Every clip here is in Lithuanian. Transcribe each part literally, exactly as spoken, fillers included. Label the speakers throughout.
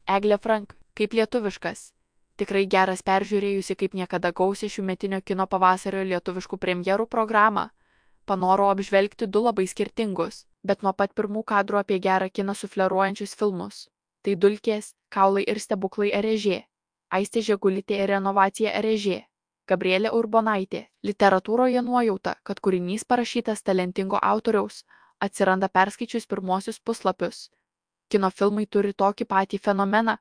Speaker 1: Eglė Frank, kaip lietuviškas. Tikrai geras peržiūrėjusi kaip niekada gausią šiųmetinio kino pavasario lietuviškų premjerų programą. Panoro apžvelgti du labai skirtingus, bet nuo pat pirmų kadrų apie gerą kiną sufleruojančius filmus. Tai Dulkės, Kaulai ir stebuklai Erežė, Aistė Žegulytė ir Renovacija Erežė, Gabrielė Urbonaitė. Literatūroje nuojauta, kad kūrinys parašytas talentingo autoriaus, atsiranda perskaičius pirmosius puslapius. Kino filmai turi tokį patį fenomeną,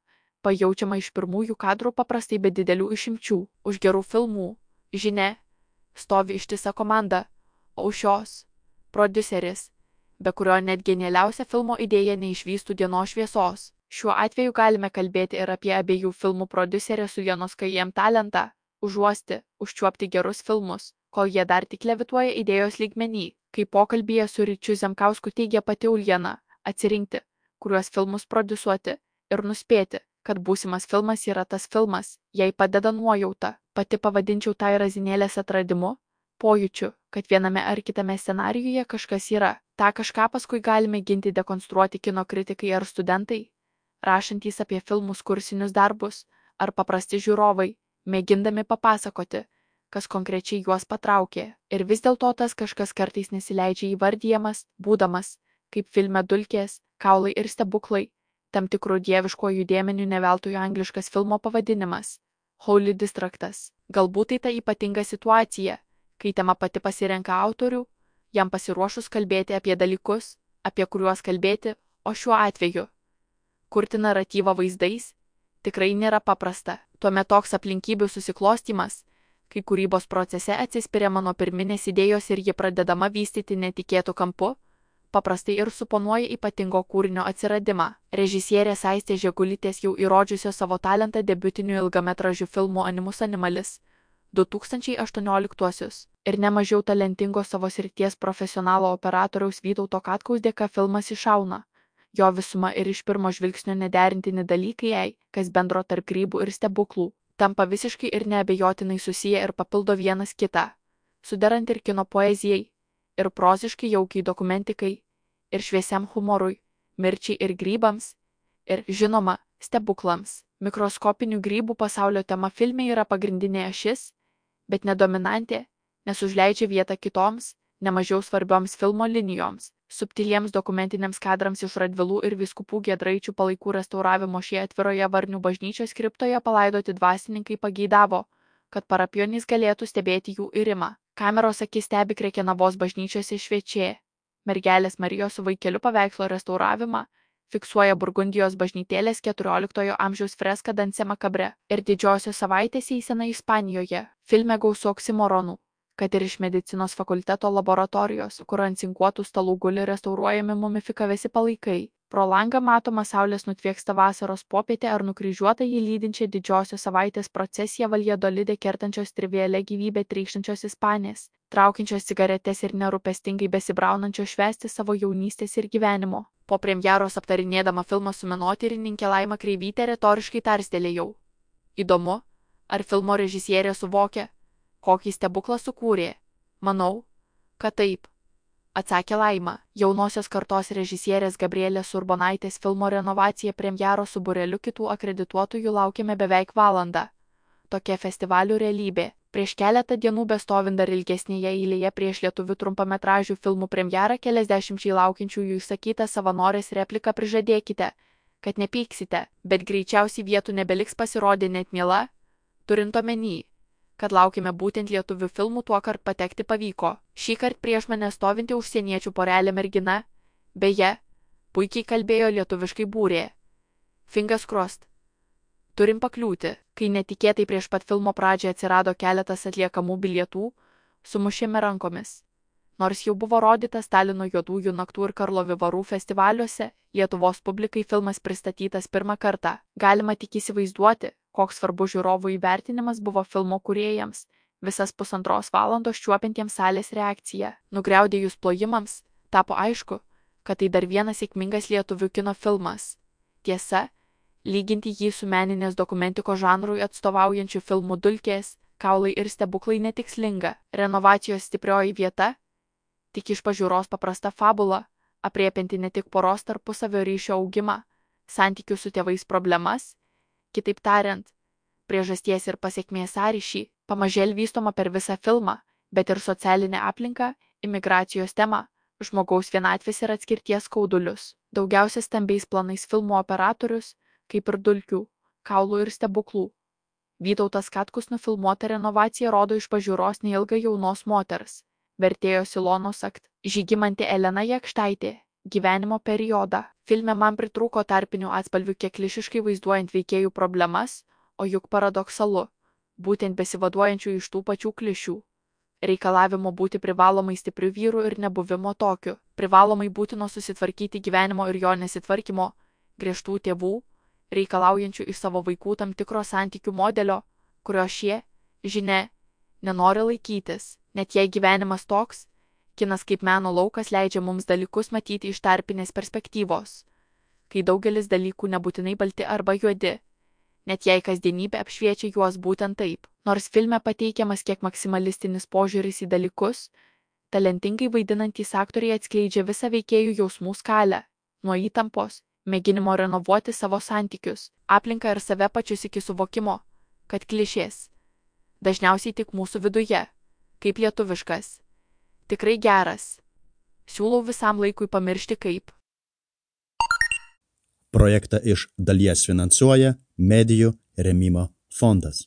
Speaker 1: pajaučiama iš pirmųjų kadrų paprastai be didelių išimčių. Už gerų filmų, žinia, stovi ištisa komanda, o už šios – prodiuseris, be kurio net genialiausia filmo idėja neišvystų dienos šviesos. Šiuo atveju galime kalbėti ir apie abiejų filmų prodiuserės Uljanos Kajiem talentą – užuosti, užčiuopti gerus filmus, kol jie dar tik levituoja idėjos lygmenį. Kai pokalbyje su Ryčiu Zemkausku teigia pati Uljana, atsirinkti, kuriuos filmus prodiusuoti, ir nuspėti, kad būsimas filmas yra tas filmas, jai padeda nuojauta. Pati pavadinčiau tai razinėlės atradimu, pojūčiu, kad viename ar kitame scenarijuje kažkas yra. Ta kažką paskui galime ginti dekonstruoti kino kritikai ar studentai, rašantys apie filmus kursinius darbus, ar paprasti žiūrovai, mėgindami papasakoti, kas konkrečiai juos patraukė. Ir vis dėlto tas kažkas kartais nesileidžia įvardijamas, būdamas, kaip filme Dulkės, Kaulai ir stebuklai, tam tikrų dieviškojų dėmenių ne veltui angliškas filmo pavadinimas – Holy Distractas. Galbūt tai ta ypatinga situacija, kai tema pati pasirenka autorių, jam pasiruošus kalbėti apie dalykus, apie kuriuos kalbėti, o šiuo atveju – kurti naratyvą vaizdais, tikrai nėra paprasta. Tuomet toks aplinkybių susiklostymas, kai kūrybos procese atsispiriama nuo pirminės idėjos ir ji pradedama vystyti netikėtų kampu, paprastai ir suponuoja ypatingo kūrinio atsiradimą. Režisierės Aistės Žegulytės jau įrodžiusio savo talentą debiutiniu ilgametražiu filmu Animus Animalis du tūkstančiai aštuonioliktuosius ir nemažiau talentingo savo srities profesionalo operatoriaus Vytauto Katkaus dėka filmas iššauna. Jo visuma ir iš pirmo žvilgsnio nederintini dalykai jai, kas bendro tarp grybų ir stebuklų, tampa visiškai ir neabejotinai susiję ir papildo vienas kitą, suderant ir kino poezijai, ir proziškai jaukiai dokumentikai, ir šviesiam humorui, mirčiai ir grybams, ir, žinoma, stebuklams. Mikroskopinių grybų pasaulio tema filme yra pagrindinė ašis, bet nedominantė, nes užleidžia vietą kitoms, nemažiau svarbioms filmo linijoms. Subtiliems dokumentiniams kadrams iš Radvilų ir vyskupų Giedraičių palaikų restauravimo šie atviroje Varnių bažnyčios kriptoje palaidoti dvasininkai pageidavo, kad parapionys galėtų stebėti jų irimą. Kameros akis stebi Krekenavos bažnyčiose šviečiai. Mergelės Marijos su vaikeliu paveikslo restauravimą fiksuoja Burgundijos bažnytėlės keturioliktojo amžiaus freska Danse Makabre ir didžiosios savaitės eisena Ispanijoje. Filme gausu oksimoronų, kad ir iš medicinos fakulteto laboratorijos, kur ant cinkuotų stalų guli restauruojami mumifikavęsi palaikai. Pro langą matoma saulės nutvieksta vasaros popietė ar nukryžiuota jį lydinčią didžiosios savaitės procesiją Valjadolide kertančios trivialia gyvybė trykštančios Ispanės, traukiančios cigaretes ir nerūpestingai besibraunančios švęsti savo jaunystės ir gyvenimo. Po premjeros aptarinėdama filmą su menotyrininkė Laima Kreivytė retoriškai tarstelėjau. Įdomu, ar filmo režisierė suvokia, kokį stebuklą sukūrė? Manau, kad taip, atsakė Laima. Jaunosios kartos režisierės Gabrielės Urbonaitės filmo Renovacija premjeros su būreliu kitų akredituotųjų laukiame beveik valandą. Tokia festivalių realybė. Prieš keletą dienų bestovint dar ilgesnėje eilėje prieš lietuvių trumpametražių filmų premjerą keliasdešimčiai laukiančiųjų išsakytą savanorės repliką prižadėkite, kad nepyksite, bet greičiausiai vietų nebeliks pasirodė net miela, turint omeny, kad laukime būtent lietuvių filmų tuokart patekti pavyko. Šįkart prieš mane stovinti užsieniečių porelė mergina, beje, puikiai kalbėjo lietuviškai būrė. Fingers crossed. Turim pakliūti, kai netikėtai prieš pat filmo pradžią atsirado keletas atliekamų bilietų, sumušėme rankomis. Nors jau buvo rodytas Talino juodųjų naktų ir Karlovy Varų festivaliuose, Lietuvos publikai filmas pristatytas pirmą kartą. Galima tik įsivaizduoti, koks svarbus žiūrovų įvertinimas buvo filmo kūrėjams, visas pusantros valandos čiuopiantiems salės reakciją. Nugriaudėjus plojimams, tapo aišku, kad tai dar vienas sėkmingas lietuvių kino filmas. Tiesa, lyginti jį su meninės dokumentikos žanrui atstovaujančių filmų Dulkės, Kaulai ir stebuklai netikslinga. Renovacijos stiprioji vieta tik iš pažiūros paprasta fabula, apriepianti ne tik poros tarpusavio ryšio augimą, santykių su tėvais problemas, kitaip tariant, priežasties ir pasiekmės sąryšį, pamažėl vystoma per visą filmą, bet ir socialinę aplinką, imigracijos temą, žmogaus vienatvės ir atskirties skaudulius. Daugiausia stambiais planais filmų operatorius, kaip ir dulkių, kaulų ir stebuklų. Vytautas Katkus nufilmuota renovacija rodo iš pažiūros neilgą jaunos moters, vertėjos Ilonos akt, Žygimantė Elena Jakštaitė, gyvenimo periodą. Filme man pritrūko tarpinių atspalvių kiek klišiškai vaizduojant veikėjų problemas, o juk paradoksalu, būtent besivaduojančių iš tų pačių klišių. Reikalavimo būti privalomai stipriu vyru ir nebuvimo tokiu, privalomai būtino susitvarkyti gyvenimo ir jo nesitvarkymo, griežtų tėvų, reikalaujančių iš savo vaikų tam tikro santykių modelio, kurio šie, žinia, nenori laikytis, net jei gyvenimas toks, kinas kaip meno laukas leidžia mums dalykus matyti iš tarpinės perspektyvos, kai daugelis dalykų nebūtinai balti arba juodi, net jei kasdienybė apšviečia juos būtent taip. Nors filme pateikiamas kiek maksimalistinis požiūris į dalykus, talentingai vaidinantys aktoriai atskleidžia visą veikėjų jausmų skalę, nuo įtampos, mėginimo renovuoti savo santykius, aplinką ir save pačius iki suvokimo, kad klišės dažniausiai tik mūsų viduje, kaip lietuviškas, tikrai geras. Siūlau visam laikui pamiršti kaip.
Speaker 2: Projektą iš dalies finansuoja Medijų rėmimo fondas.